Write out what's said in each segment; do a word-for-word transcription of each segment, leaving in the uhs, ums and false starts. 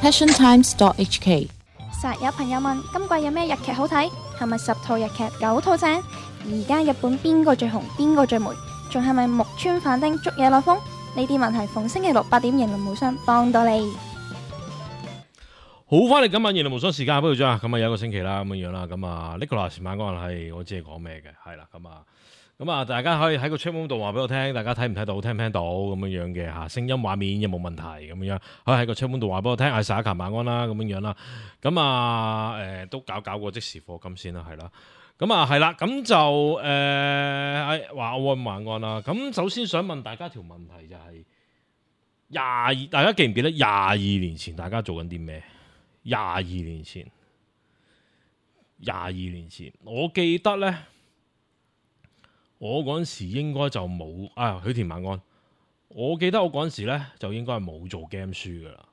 passion times dot h k。 實有朋友問今季有咩日劇好睇？係咪十套日劇九套正？而家日本邊個最紅？邊個最霉？仲係咪木村反町捉嘢落風？呢啲問題逢星期六八點，型林無雙幫到你。好，翻嚟今晚型林無雙時間，不如將咁啊有一個星期啦，咁樣樣啦，咁啊 Nicholas 晚安係我知係講咩嘅，係啦，咁啊。咁啊，大家可以喺個 chat room 度話俾我聽，大家睇唔睇到，聽唔聽到咁樣樣嘅嚇，聲音畫面有冇問題咁樣，可以喺個 chat room 度話俾我聽。阿 Sa 晚安啦，咁樣樣啦。咁啊，誒、呃、都搞搞個即時課金先啦，係啦。咁啊，係啦，咁就誒誒話我晚安啦。咁首先想問大家條問題就係廿二，大家記唔記得廿二年前大家做緊啲咩？廿二年前，廿二年前，我記得咧。我嗰陣時應該就冇啊，許田晚安。我記得我嗰陣時咧就應該係冇做 game 書噶啦。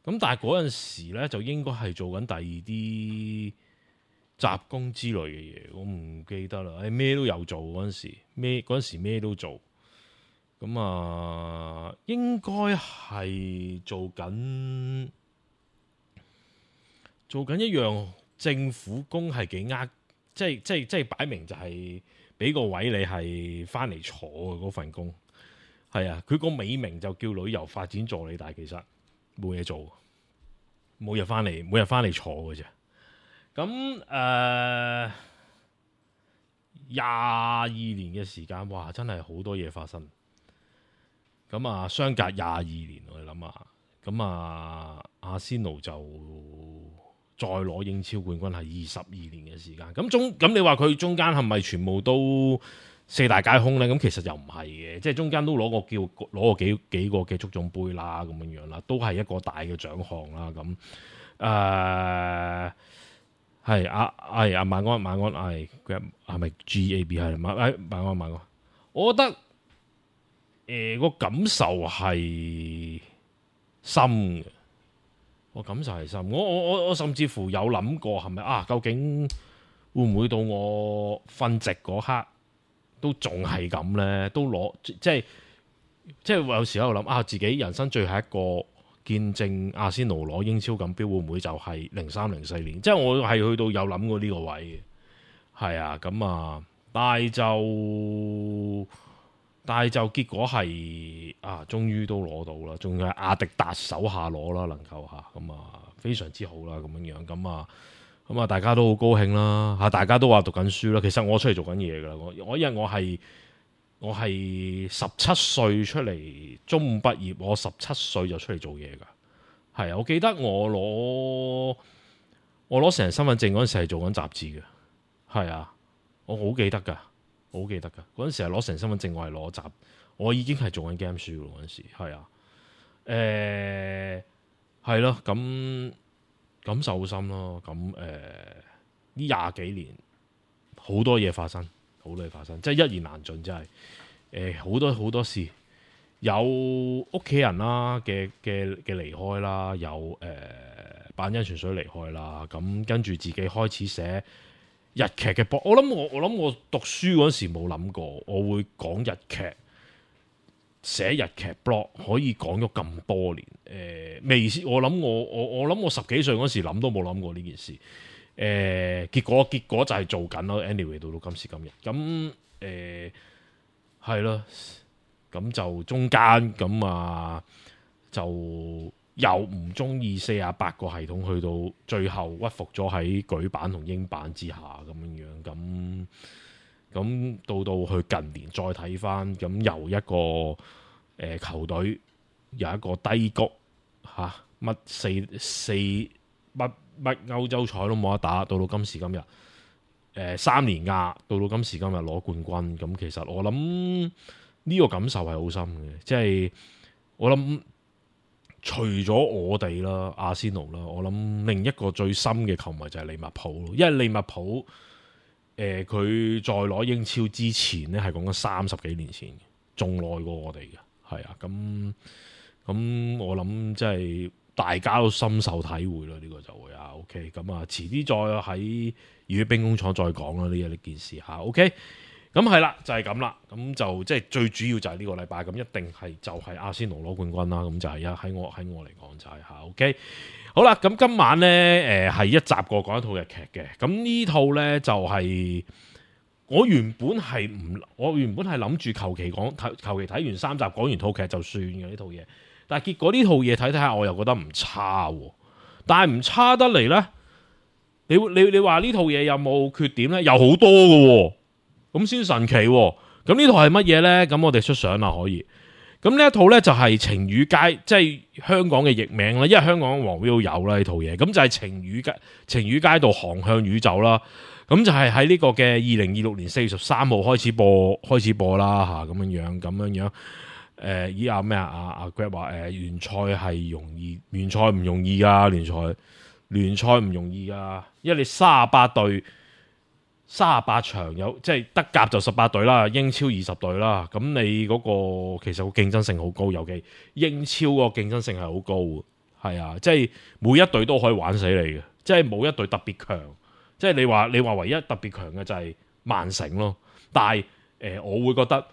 咁但係嗰陣時咧就應該係做緊第二啲雜工之類嘅嘢，我唔記得啦。誒咩都有做嗰陣時，咩嗰陣時咩都做。咁啊，應該係做緊做緊一樣政府工係幾呃，即係即係即係擺明就係、是。俾個位你係翻嚟坐嘅嗰份工，係啊，佢個美名就叫旅遊發展助理，但係其實冇嘢做，每日翻嚟每日翻嚟坐嘅啫。咁誒廿二年嘅時間，哇，真係好多嘢發生。咁啊，相隔廿二年，我哋諗下，咁啊，阿仙奴就再攞英超冠軍係二十二年嘅時間，咁中咁你話佢中間係咪全部都四大皆空呢？咁其實又唔係嘅，即係中間都攞過叫攞過幾幾個嘅足總杯啦，咁樣樣啦，都係一個大嘅獎項啦。咁誒係啊係啊晚安晚安係係咪 G A B 係晚誒晚安晚安？我覺得誒個、呃、感受係深嘅。我感受係深，我我我我甚至乎有諗過係咪啊？究竟會唔會到我瞓直嗰刻都仲係咁呢？都攞即係即係有時喺度諗啊，自己人生最後一個見證阿仙奴攞英超錦標，會唔會就係零三零四年？即係我係去到有諗過呢個位嘅，係啊咁啊，但係就但係就結果係啊，終於都攞到啦，仲係阿迪達手下攞啦，能夠嚇咁啊，非常之好啦，咁樣樣咁啊，咁啊，大家都好高興啦嚇，大家都話讀緊書啦。其實我出嚟做緊嘢噶啦，我我因為我係我係十七歲出嚟中五畢業，我十七歲就出嚟做嘢噶。係啊，我記得我攞我攞成人身份證嗰陣時係做緊雜誌嘅，係啊，我好記得噶。我好記得噶，嗰陣時係攞成身份證，我係攞集，我已經係做緊 game 書咯。嗰陣時係啊，誒係咯，咁感受好深咯。咁誒呢廿幾年好多嘢發生，好多嘢發生，即係一言難盡，真係誒好多好多事，有屋企人啦嘅嘅嘅離開啦，有誒板恩泉水離開啦，咁跟住自己開始寫日劇嘅 blog，我諗我我諗我讀書嗰時冇諗過我會講日劇，寫日劇 blog 可以講咗咁多年。誒、呃、未試，我諗我我我諗我十幾歲嗰時諗都冇諗過呢件事。誒、呃、結果結果就係做緊咯。anyway 到到今時今日，咁誒係咯，咁、呃、就中間咁啊就。又唔中意四十八個系統，去到最後屈服咗喺舉版同英版之下咁樣樣，咁咁到到去近年再睇翻，咁由一個誒、呃、球隊有一個低谷嚇，乜、啊、四四乜乜歐洲賽都冇得打，到到今時今日誒、呃、三連壓，到到今時今日攞冠軍，咁其實我諗呢個感受係好深嘅，即係我諗。除咗我哋啦，阿仙奴啦，我諗另一個最深嘅球迷就係利物浦咯。因為利物浦，誒佢在攞英超之前咧，係講緊三十幾年前，仲耐過我哋嘅，係啊。咁咁我諗即係大家都深受體會啦。呢、這個就會啊，OK。咁啊，遲啲再喺熱血兵工廠再講啦。呢一件事嚇，OK。咁係啦，就係咁啦，咁就即係最主要就係呢個禮拜，咁一定係就係阿仙奴攞冠軍啦，咁就係一喺我喺我嚟講就係、是、嚇，OK，好啦，咁今晚呢，誒係一集過講一套日劇嘅，咁呢套呢，就係、是、我原本係唔，我原本係諗住求其講，求其睇完三集講完套劇就算嘅呢套嘢，但係結果呢套嘢睇睇下我又覺得唔差喎，但係唔差得嚟呢，你你你話呢套嘢有冇缺點呢？有好多嘅喎。咁先神奇喎！咁呢套係乜嘢呢？咁我哋出相啦，可以。咁呢一套呢，就係晴雨街，即係香港嘅譯名啦。因為香港黃標有啦呢套嘢，咁就係晴雨街，晴雨街道航向宇宙啦。咁就係喺呢個嘅二零二六年四月十三號開始播，開始播啦吓，咁樣樣，咁樣樣。誒、呃，依阿咩啊？阿阿 Grab 話誒，聯賽係容易，聯賽唔容易噶，聯賽聯賽唔容易噶，因為你三十八隊。三十八場有，即係德甲就十八隊啦，英超二十隊啦。咁你嗰個其實個競爭性好高，尤其英超個競爭性係好高嘅，係啊，即係每一隊都可以玩死你嘅，即係冇一隊特別強。即係你話你話唯一特別強嘅就係曼城咯。但係誒、呃，我會覺得誒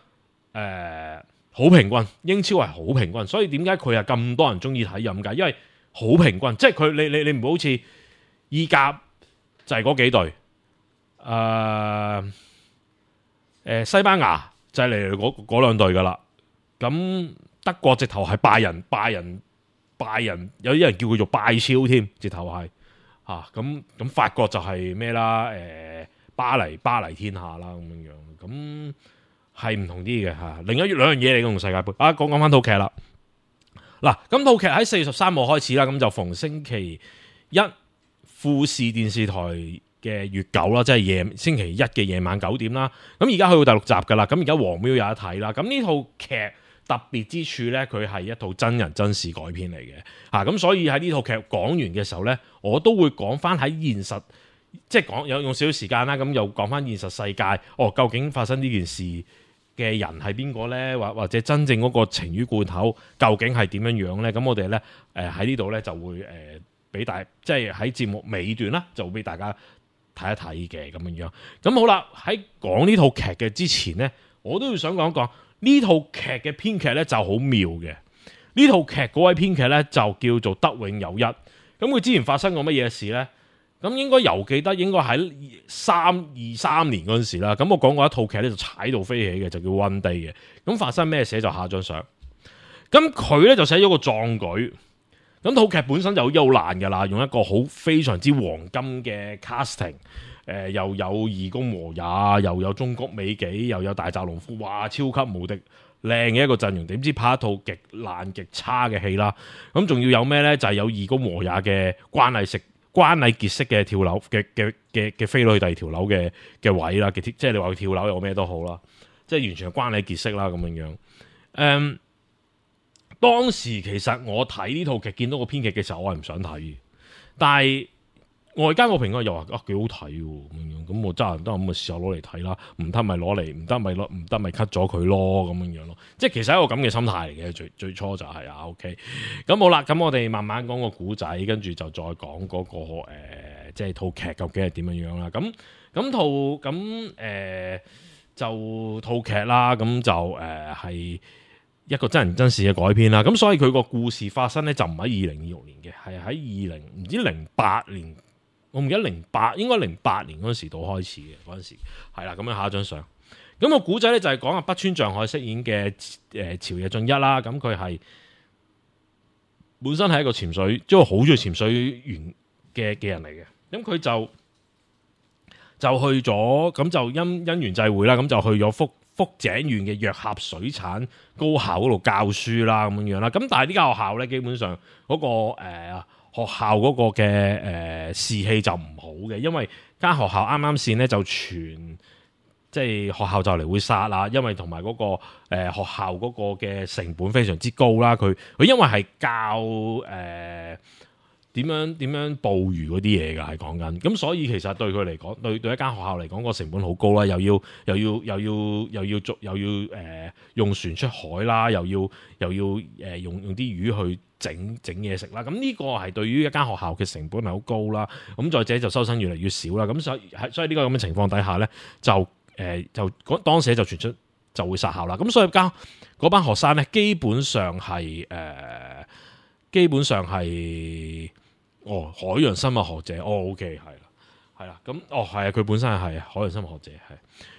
好、呃、平均，英超係好平均，所以點解佢係咁多人中意睇咁解？因為好平均，即係佢你你你唔好好似意甲就係嗰幾隊。誒、呃呃、西班牙就係嚟嚟嗰兩隊噶啦，咁德國直頭係拜仁，拜仁拜仁有啲人叫佢做拜超添，直頭係嚇，咁咁法國就係咩啦？誒、呃、巴黎巴黎天下啦咁樣樣，咁係唔同啲嘅嚇。另一兩樣嘢嚟同世界盃啊，講講翻套劇啦。嗱，咁套劇喺四月十三號開始啦，咁就逢星期一富士電視台嘅月九啦，即係夜星期一嘅夜晚九點啦。咁而家去到第六集噶啦，咁而家黃標有得睇啦。咁呢套劇特別之處呢，佢係一套真人真事改編嚟嘅嚇。咁所以喺呢套劇講完嘅時候呢，我都會講翻喺現實，即係講有用少少時間啦。咁又講翻現實世界，哦，究竟發生呢件事嘅人係邊個呢？或或者真正嗰個情魚罐頭究竟係點樣樣呢？咁我哋呢，誒喺呢度呢，就會誒俾、呃、大，即係喺節目尾段啦，就會俾大家睇一睇嘅咁樣樣，咁好啦。喺講呢套劇嘅之前呢，我都要想講講呢套劇嘅編劇呢就好妙嘅。呢套劇嗰位編劇呢，就叫做德永有一。咁佢之前發生過乜嘢事呢？咁應該猶記得應該喺三二三年嗰陣時啦。咁我講過一套劇呢，就踩到飛起嘅，就叫 One Day 嘅。咁發生咩事就下張相。咁佢呢，就寫咗個壯舉。咁套劇本身就好優爛㗎啦，用一個好非常之黃金嘅 casting，誒、呃、又有二宮和也，又有中谷美紀，又有大澤隆夫，哇，超級無敵靚嘅一個陣容。點知拍一套極爛極差嘅戲啦？咁仲要有咩呢？就係、是、有二宮和也嘅關禮式、關禮傑式嘅跳樓嘅嘅嘅嘅飛女第二條樓嘅嘅位啦，即係你話佢跳樓有咩都好啦，即係完全係關禮傑式啦咁樣樣，誒、嗯。當時其實我睇呢套劇見到個編劇嘅時候，我係唔想睇，但係外間個評論又話啊幾好睇喎咁樣，咁我揸人得咁咪試下攞嚟睇啦，唔得咪攞嚟，唔得咪攞，唔得咪 cut 咗佢咯咁樣樣咯，即係其實係一個咁嘅心態嚟嘅，最最初就係、是、啊 OK，咁好啦，咁我哋慢慢講個古仔，跟住就再講嗰、那個誒、呃，即係套劇究竟係點樣樣啦，咁咁套咁誒就套劇啦，咁就誒係。呃一個真人真事嘅改編啦，咁所以佢個故事發生咧就唔喺二零二六年嘅，係喺二零唔知零八年，我唔記得零八應該零八年嗰陣時到開始嘅嗰陣時，係啦，咁樣下一張相，咁個古仔咧就係講阿北川匠海飾演嘅誒朝野俊一啦，咁佢係本身係一個潛水，即係好中意潛水員嘅嘅人嚟嘅，咁佢就就去咗，咁就因因緣際會啦，咁就去咗福。福井縣嘅若狹水產高校嗰度教書啦，咁樣樣啦。咁但係呢間學校咧，基本上嗰、嗰個誒、呃、學校嗰個嘅誒、呃、士氣就唔好嘅，因為間學校啱啱先咧就傳，即係學校就嚟會殺啦，因為同埋嗰個誒、呃、學校嗰個嘅成本非常之高啦。佢佢因為係教誒。呃點樣點樣捕魚嗰啲嘢㗎，係講緊咁，所以其實對佢嚟講，對對一間學校嚟講個成本好高啦，又要又要又要又要做又要誒、呃、用船出海啦，又要又要誒、呃、用用啲魚去整整嘢食啦。咁呢個係對於一間學校嘅成本係好高啦。咁再者就收生越嚟越少啦。咁所以喺所以呢個咁嘅情況底下咧，就誒就嗰當時就傳出就會殺校啦。咁所以間嗰班學生咧，基本上係誒、呃，基本上係哦海洋生物學者，哦 OK 係啦，係啦，咁哦係啊，佢本身係海洋生物學者係。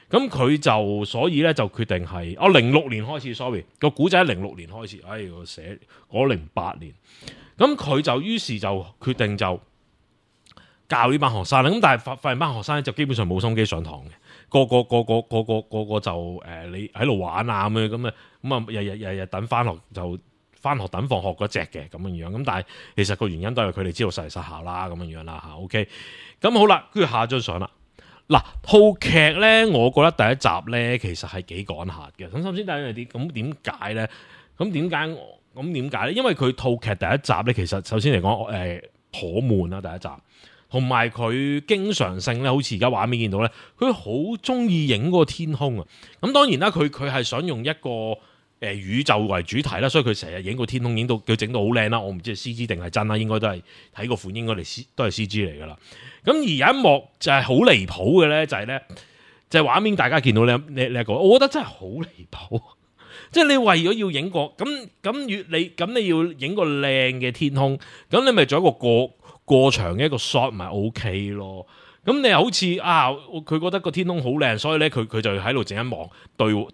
咁佢就所以咧就決定係哦零六年開始 ，sorry 個古仔喺零六年開始，哎我寫我零八年，咁佢就於是就決定就教呢班學生啦。咁但係發發現班學生咧就基本上冇心機上堂嘅，個個個個個個個個就誒、呃、你喺度玩啊咁樣咁啊咁啊日日日日等翻學就翻學等放學嗰隻嘅咁樣樣。咁但係其實個原因都係佢哋知道實嚟實效啦咁樣樣啦嚇。OK，咁好啦，跟住下一張相啦。嗱，套劇咧，我覺得第一集咧其實係幾趕客嘅。咁首先第一樣啲，咁點解咧？咁點解？咁點解咧？因為佢套劇第一集咧，其實首先嚟講，誒、呃，頗悶啦第一集，同埋佢經常性咧，好似而家畫面見到咧，佢好中意影嗰個天空啊。咁當然啦，佢佢係想用一個誒宇宙為主題啦，所以佢成日影個天空，影到佢整到好靚啦。我唔知係 C G 定係真啦，應該都係睇個款，應該嚟 C 都係 C G 嚟噶啦。咁而有一幕就係好離譜嘅咧，就係、是、咧就係、是、畫面大家見到咧呢呢一個，我覺得真係好離譜。即係你為咗要影個咁咁越你咁你要影個靚嘅天空，咁你咪做一個過過長嘅一個 shot 咪 OK 咯。咁你又好似啊，佢覺得個天空好靚，所以咧佢佢就喺度整一幕對。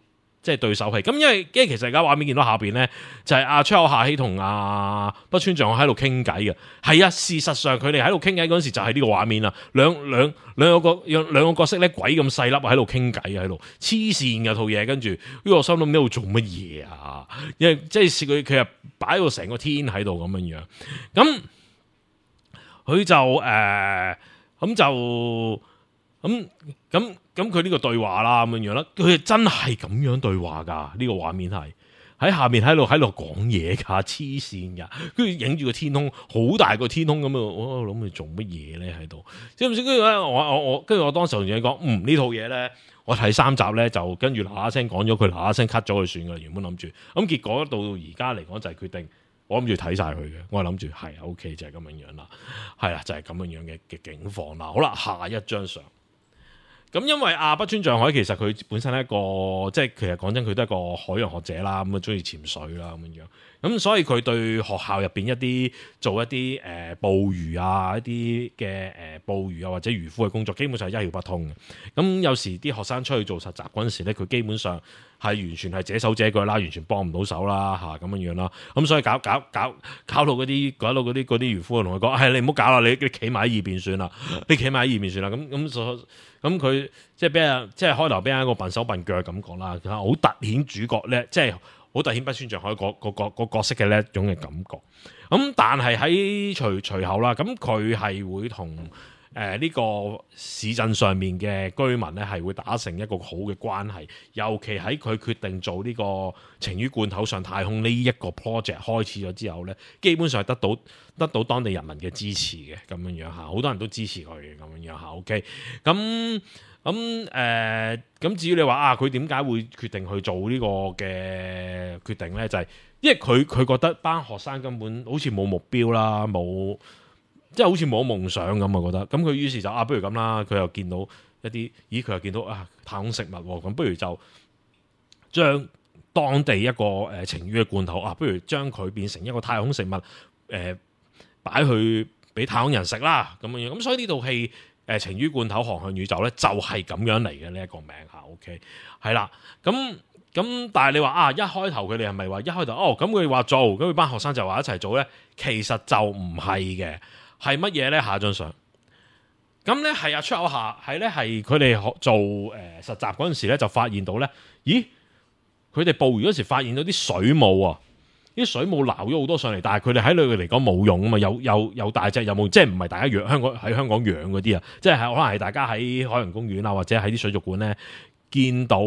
即係對手戲，咁因為因為其實而家畫面見到下邊咧，就係阿出口夏希同阿北川匠海喺度傾偈嘅。係啊，事實上佢哋喺度傾偈嗰陣時就係呢個畫面啦。兩兩兩個角兩個角色咧鬼咁細粒喺度傾偈喺度，黐線嘅套嘢。跟住呢個我心諗呢度做乜嘢啊？因為即係佢佢係擺到成個天喺度咁樣樣。咁佢就誒咁、呃、就。咁咁咁佢呢個對話啦咁樣樣啦，佢真係咁樣對話噶，呢、這個畫面係喺下面喺度喺度講嘢噶，黐線噶，跟住影住個天空，好大個天空咁啊！我諗佢做乜嘢咧喺度？知唔知？跟住咧，我我我跟住我當時同你講，嗯呢套嘢咧，我睇三集咧就跟住嗱嗱聲講咗佢，嗱嗱聲 cut 咗佢算噶啦，原本諗住，咁結果到而家嚟講就係決定。我諗住睇晒佢嘅，我係諗住係 OK 就係咁樣樣啦，係啦就係咁樣樣嘅嘅境況啦。好啦，下一張相。咁因為阿北川匠海其實佢本身係一個即係其實講真佢都係一個海洋學者啦，咁啊中意潛水啦咁樣樣，咁所以佢對學校入邊一啲做一啲誒、呃、捕魚啊一啲嘅誒捕魚啊或者漁夫嘅工作基本上係一竅不通嘅。咁有時啲學生出去做實習嗰陣時咧，佢基本上係完全係隻手隻腳啦，完全幫唔到手啦嚇咁樣樣啦。咁所以搞搞搞搞到嗰啲搞到嗰啲嗰啲漁夫同佢講，係、哎、你唔好搞啦，你你企埋喺二邊算啦，你企埋喺二邊算啦。咁咁所咁佢即係俾人即係開頭俾人一個笨手笨腳咁講啦，好突顯主角咧，即係好突顯北川匠海個個個個角色嘅呢一種嘅感覺。咁但係喺隨隨後啦，咁佢係會同誒呢個市鎮上面嘅居民咧係會打成一個好嘅關係，尤其喺佢決定做呢個晴雨罐頭上太空呢一個 project 開始咗之後咧，基本上係得到得到當地人民嘅支持嘅咁樣樣嚇，好多人都支持佢嘅咁樣樣嚇。OK，咁咁誒咁至於你話啊，佢點解會決定去做呢個嘅決定咧？就係、是、因為佢佢覺得班學生根本好似冇目標啦，冇。即係好似冇夢想咁啊，覺得咁佢於是就啊，不如咁啦，佢又見到一啲，咦佢又見到啊太空食物喎，咁不如就將當地一個誒晴雨嘅罐頭啊，不如將佢變成一個太空食物誒擺、呃、去俾太空人食啦咁樣，咁所以呢套戲誒晴雨罐頭航向宇宙咧就係咁樣嚟嘅呢一個名嚇 ，OK 係啦，咁咁但係你話啊一開頭佢哋係咪話一開頭哦咁佢話做，咁佢班學生就話一齊做咧，其實就唔係嘅。係乜嘢咧？下張相咁咧，係啊出口下係咧，係佢哋學做誒、呃、實習嗰陣時咧，就發現到咧，咦？佢哋捕魚嗰時發現到啲水母啊，啲水母撈咗好多上嚟，但係佢哋喺佢嚟講冇用啊嘛，有有有大隻有冇？即係唔係大家養香港喺香港養嗰啲啊？即係可能係大家喺海洋公園啊，或者喺啲水族館咧見到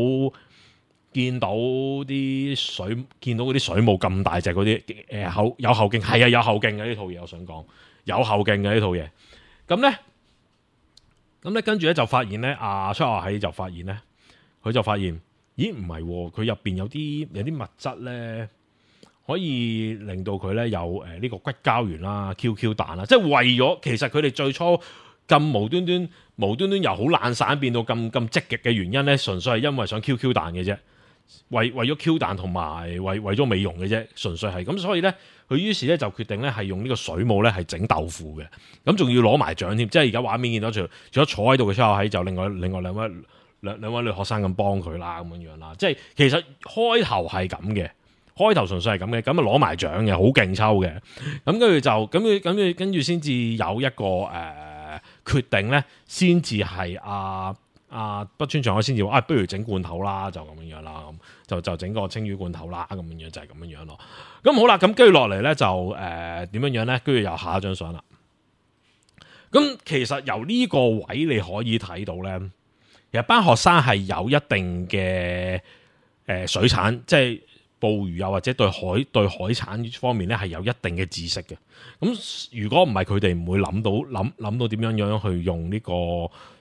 見到啲水，見到嗰啲水母咁大隻嗰啲誒後有後勁，係啊有後勁嘅呢套嘢，我想講。有後勁嘅呢套嘢，咁咧，咁咧跟住咧就發現咧，阿出下喺就發現咧，佢就發現，咦唔係，佢入邊有啲有啲物質咧，可以令到佢咧有誒呢個骨膠原啦、Q Q 彈啦，即係為咗其實佢哋最初咁無端端無端端由好懶散變到咁咁積極嘅原因咧，純粹係因為想 Q Q 彈嘅啫，為為咗 Q 彈同埋為為咗美容嘅啫，純粹係咁，所以咧佢於是咧就決定咧係用呢個水母咧係整豆腐嘅，咁仲要攞埋獎添，即係而家畫面見到除除咗坐喺度嘅出口喺，就另外另外兩位兩兩位女學生咁幫佢啦，咁樣樣啦，即係其實開頭係咁嘅。開頭純粹係咁嘅，咁啊攞埋獎嘅，好勁抽嘅，咁跟住就咁佢咁跟住先至有一個誒、呃、決定咧，先至係阿阿北川翔海先至話啊，不如整罐頭啦，就咁樣樣啦，咁就就整個青魚罐頭啦，咁樣樣就係咁樣樣咯。咁好啦，咁跟住落嚟咧就誒點、呃、樣樣咧，跟住又下一張相啦。咁其實由呢個位你可以睇到咧，其實班學生係有一定嘅誒、呃、水產，即係。捕魚又或者對海對海產方面咧係有一定嘅知識嘅，咁如果唔係佢哋唔會諗到諗諗到點樣樣去用呢個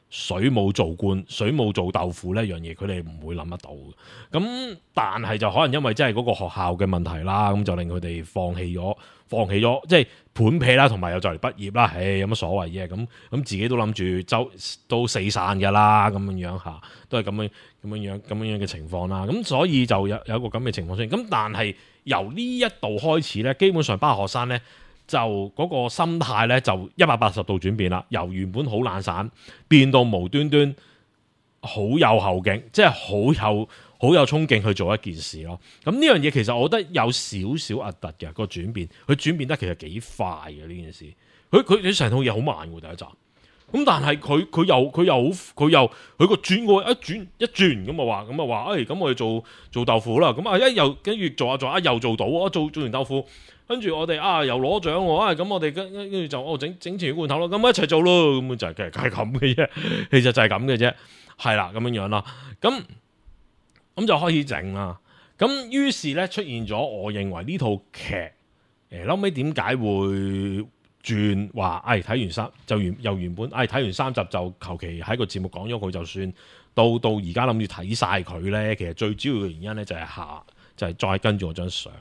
水母做罐、水母做豆腐呢樣嘢，佢哋唔會諗得到嘅。咁但係就可能因為即係嗰個學校嘅問題啦，咁就令佢哋放棄咗，放棄咗即係盤屁啦，同埋又就嚟畢業啦，唉，有乜所謂啫？咁咁自己都諗住周都四散㗎啦，咁樣樣嚇，都係咁樣咁樣樣咁樣樣嘅情況啦。咁所以就有有一個咁嘅情況出現。咁但係由呢一度開始咧，基本上班學生咧就嗰個心態咧就一百八十度轉變啦，由原本好懶散變到無端端好有後勁，即係好有好有衝勁去做一件事咯。咁呢樣嘢其實我覺得有少少核突嘅個轉變，佢轉變得其實幾快嘅呢件事。佢佢佢成套嘢好慢喎第一集，咁但係佢佢又佢又佢又佢個轉過一轉一轉咁啊話咁啊話，誒咁我哋做做豆腐啦，咁啊一又跟住做下做下又做到，我做做完豆腐，跟住我哋啊又攞獎喎，啊咁我哋跟跟住就我整整條罐頭咯，咁一齊做咯，咁就係其實係咁嘅啫，其實就係咁嘅啫，係啦咁樣樣啦，咁咁就開始整啦，咁於是咧出現咗，我認為呢套劇誒後尾點解會轉話，誒睇完三就原由原本誒睇完三集就求其喺個節目講咗佢就算，到到而家諗住睇晒佢咧，其實最主要嘅原因咧就係下就係、是、再跟住我張相，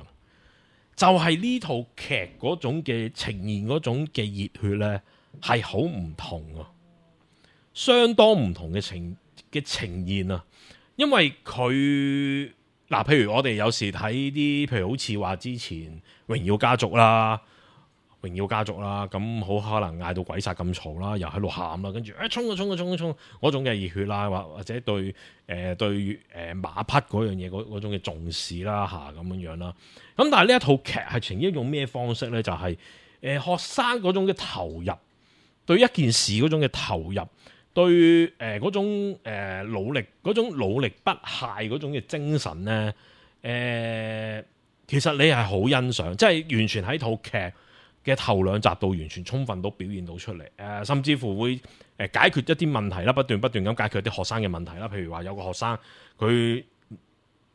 就係、是、呢套劇嗰種嘅呈現嗰種嘅熱血咧係好唔同啊，相當唔同嘅呈嘅呈現啊，因為佢嗱，譬如我哋有時睇啲，譬如好似話之前榮耀家族啦。榮耀家族啦，咁好可能嗌到鬼殺咁嘈啦，又喺度喊啦，跟住誒衝啊衝啊衝啊衝嗰種嘅熱血啦，或或者對誒、呃、對誒馬匹嗰樣嘢嗰嗰種嘅重視啦嚇咁樣樣啦。咁但係呢一套劇係呈現用咩方式咧？就係、是、誒、呃、學生嗰種嘅投入，對一件事嗰種嘅投入，對誒嗰、呃、種、呃、努力嗰種努力不懈嗰種嘅精神咧，誒、呃、其實你係好欣賞，即係完全喺套劇嘅頭兩集度完全充分都表現到出嚟，誒、呃、甚至乎會誒解決一啲問題啦，不斷不斷咁解決一啲學生嘅問題啦。譬如話有個學生佢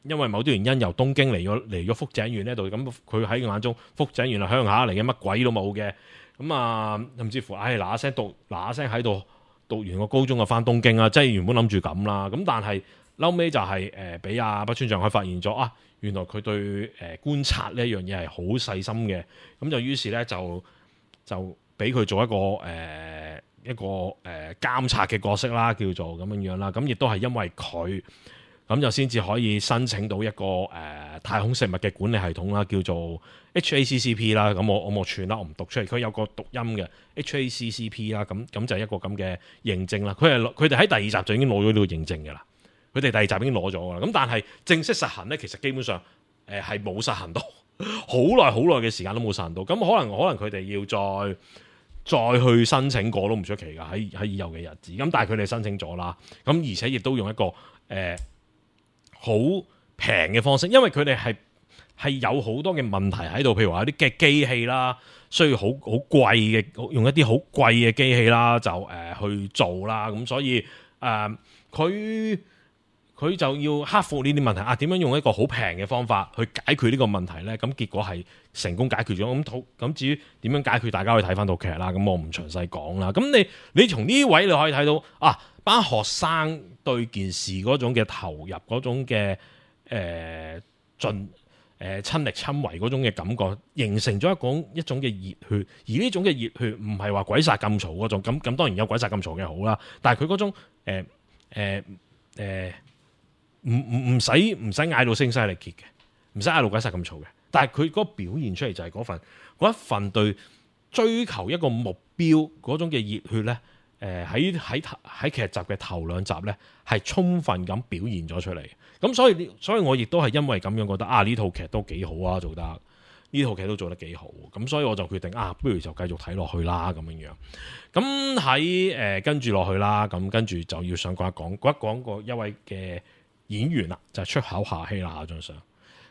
因為某啲原因由東京嚟咗嚟咗福井縣呢度，咁佢喺眼中福井縣係鄉下嚟嘅，乜鬼都冇嘅。咁啊，甚至乎唉嗱嗱聲讀嗱嗱聲喺度讀完個高中就翻東京啊，即係原本諗住咁啦。咁但係後尾就係誒俾阿北川翔海發現咗啊！原來佢對誒、呃、觀察呢一樣嘢係好細心嘅，咁就於是咧就就俾佢做一個誒、呃、一個誒、呃、監察嘅角色啦，叫做咁樣樣啦。咁亦都係因為佢咁就先至可以申請到一個誒、呃、太空食物嘅管理系統啦，叫做 H A C C P 啦。咁我我冇串啦，我唔讀出嚟。佢有個讀音嘅 H A C C P 啦，咁咁就係一個咁嘅認證啦。佢係佢哋喺第二集就已經攞咗呢個認證嘅啦。佢哋第二集已經攞咗㗎啦，咁但係正式實行咧，其實基本上誒係冇實行到，好耐好耐嘅時間都冇實行到。咁可能可能佢哋要再再去申請過都唔出奇㗎，喺喺以後嘅日子。咁但係佢哋申請咗啦，咁而且亦都用一個誒好平嘅方式，因為佢哋係係有好多嘅問題喺度，譬如話有啲嘅機器啦，需要好好貴嘅，用一啲好貴嘅機器啦，就誒、呃、去做啦。咁所以誒佢。呃佢就要克服呢啲問題啊！點樣用一個好平嘅方法去解決呢個問題呢？咁結果係成功解決咗。咁咁至於點樣解決，大家可以睇翻套劇啦。咁我唔詳細講啦。咁你你從呢位你可以睇到啊，班學生對件事嗰種嘅投入，嗰種嘅誒盡誒親力親為嗰種嘅感覺，形成咗一種一種嘅熱血。而呢種嘅熱血唔係話鬼殺咁嘈嗰種，咁咁當然有鬼殺咁嘈嘅好啦。但係佢嗰種誒誒誒唔唔唔使唔使嗌到聲嘶力竭嘅，唔使嗌到鬼殺咁嘈嘅。但係佢嗰個表現出嚟就係嗰份嗰一份對追求一個目標嗰種嘅熱血咧。誒喺喺喺劇集嘅頭兩集咧，係充分咁表現咗出嚟。咁所以所以我亦都係因為咁樣覺得啊，呢套劇都幾好啊，做得呢套劇都做得幾好。咁所以我就決定啊，不如就繼續睇落去啦咁樣樣。咁喺誒跟住落去啦，咁跟住就要想講一講講一講個一位嘅演員啦，就係、是、出口夏希啦張相。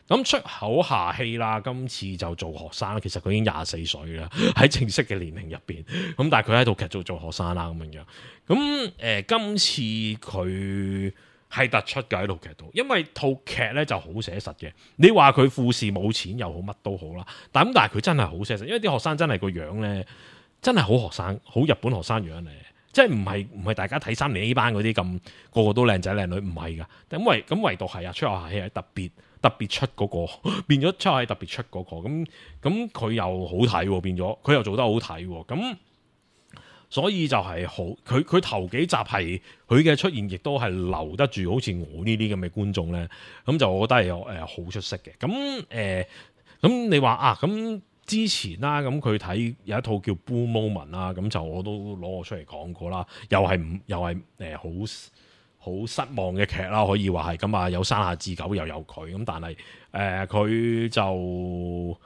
咁出口夏希啦，今次就做學生，其實佢已經廿四歲啦，喺正式嘅年齡入邊。咁但係佢喺套劇做做學生啦，咁樣樣。咁誒、呃，今次佢係突出嘅喺套劇度，因為套劇咧就好寫實嘅。你話佢富士冇錢又好，乜都好啦。但咁但係佢真係好寫實，因為啲學生真係個樣咧，真係好學生，好日本學生樣嚟。即係唔係唔係大家睇三年 A 班嗰啲咁個個都靚仔靚女，唔係噶。咁唯咁唯獨係啊，出口夏希係特別。特別出嗰、那個變咗出係特別出嗰、那個，咁咁佢又好睇，變咗佢又做得好睇，咁所以就係好佢佢頭幾集係佢嘅出現，亦都係留得住，好似我呢啲咁嘅觀眾咧，咁就我覺得係誒好出色嘅。咁誒咁你話啊，咁之前啦，咁佢睇有一套叫《Blue Moment》啦，咁就我都攞我出嚟講過啦，又係唔又係誒好。好失望嘅劇啦，可以話係咁啊！有山下智久又有佢咁，但係誒佢就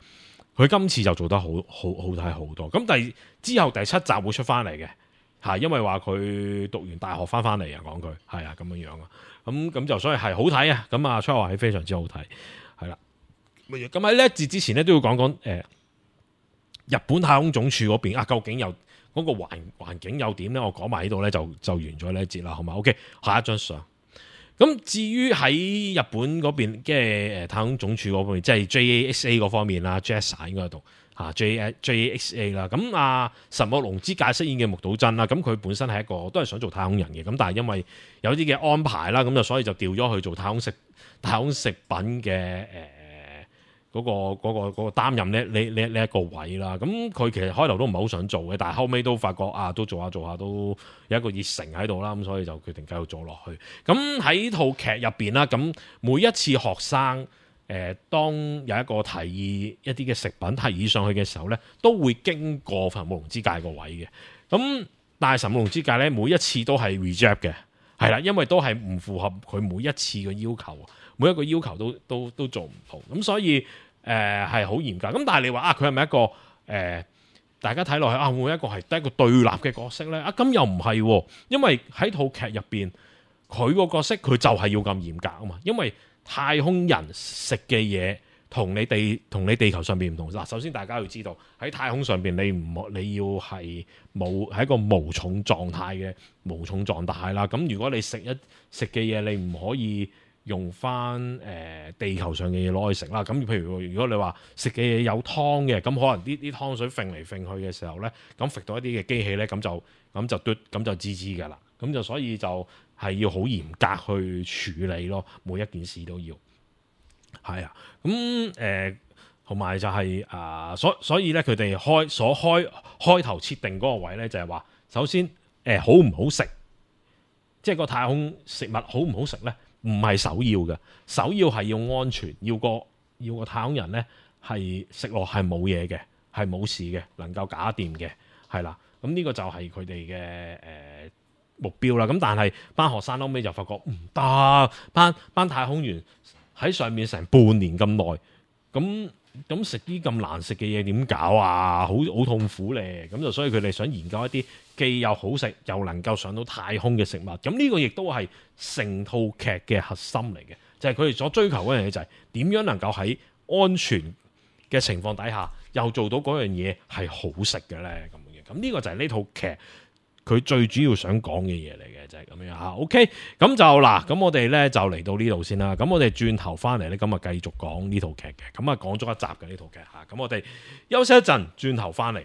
佢今次就做得好好好睇好多。咁第之後第七集會出翻嚟嘅，係因為話佢讀完大學翻翻嚟啊，講佢係啊咁樣樣啊。咁咁就所以係好睇啊！咁啊，出口夏希非常之好睇，係啦。咁喺呢一節之前咧，都要講講誒日本太空總署嗰邊啊，究竟有？嗰個環環境又點咧？我講埋呢度咧，就就完咗呢一節啦，好嘛 ？OK，下一張相。咁至於喺日本嗰邊嘅誒太空總署嗰邊，即係 J A X A 嗰方面啦 J A X A 應該喺度嚇 J A J A X A 啦。咁啊，神木隆之介飾演嘅木島真啦，咁佢本身係一個都係想做太空人嘅，咁但係因為有啲嘅安排啦，咁就所以就調咗去做太空食太空食品嘅誒。呃嗰、那個嗰、那個嗰、那個擔任呢呢呢呢一個位啦，咁佢其實開頭都唔係好想做嘅，但係後尾都發覺啊，都做下做下都有一個熱誠喺度啦，咁所以就決定繼續做落去。咁喺套劇入邊啦，咁每一次學生誒、呃、當有一個提議一啲嘅食品提議上去嘅時候咧，都會經過神木隆之介個位嘅。咁但係神木隆之介咧，每一次都係 reject 嘅，係啦，因為都係唔符合佢每一次嘅要求。每一個要求都都都做唔到，咁所以誒係好嚴格。咁但係你話啊，佢係咪一個誒、呃、大家睇落去啊，會唔會一個係得一個對立嘅角色咧？啊，咁又唔係喎，因為喺套劇入邊，佢個角色佢就係要咁嚴格啊嘛。因為太空人食嘅嘢同你地同你地球上邊唔同。嗱，首先大家要知道喺太空上邊，你唔你要係冇係一個無重狀態嘅無重狀態啦。咁如果你食一食嘅嘢，你唔可以用翻誒、呃、地球上嘅嘢攞去食啦，咁譬如如果你話食嘅嘢有湯嘅，咁可能啲啲湯水揈嚟揈去嘅時候咧，咁揈到一啲嘅機器咧，咁就咁就嘟咁就滋滋㗎啦，咁就所以就係要好嚴格去處理咯，每一件事都要係啊，咁誒同埋就係、是、啊、呃，所所以咧佢哋開所開開頭設定嗰個位咧，就係、是、話首先誒、呃、好唔好食，即係個太空食物好唔好食咧？唔係首要嘅，首要係要安全，要個要個太空人咧係食落係冇嘢嘅，係冇事嘅，能夠搞掂嘅，係啦。咁呢個就係佢哋嘅誒目標啦。咁但係班學生後尾就發覺唔得，班班太空員喺上面成半年咁耐，咁咁食啲咁難食嘅嘢點搞啊？好好痛苦咧。咁就所以佢哋想研究一啲既又好食又能夠上到太空嘅食物。咁呢個亦都係成套劇嘅核心嚟嘅，就係佢哋所追求嗰樣嘢，就係點樣能夠喺安全嘅情況底下又做到嗰樣嘢係好食嘅咧。咁樣，咁呢個就係呢套劇佢最主要想講嘅嘢嚟嘅，就係、是、咁樣嚇。OK，咁就嗱，咁我哋咧就嚟到呢度先啦。咁我哋轉頭翻嚟咧，咁啊繼續講呢套劇嘅。咁啊講咗一集嘅呢套劇嚇。咁我哋休息一陣，轉頭翻嚟。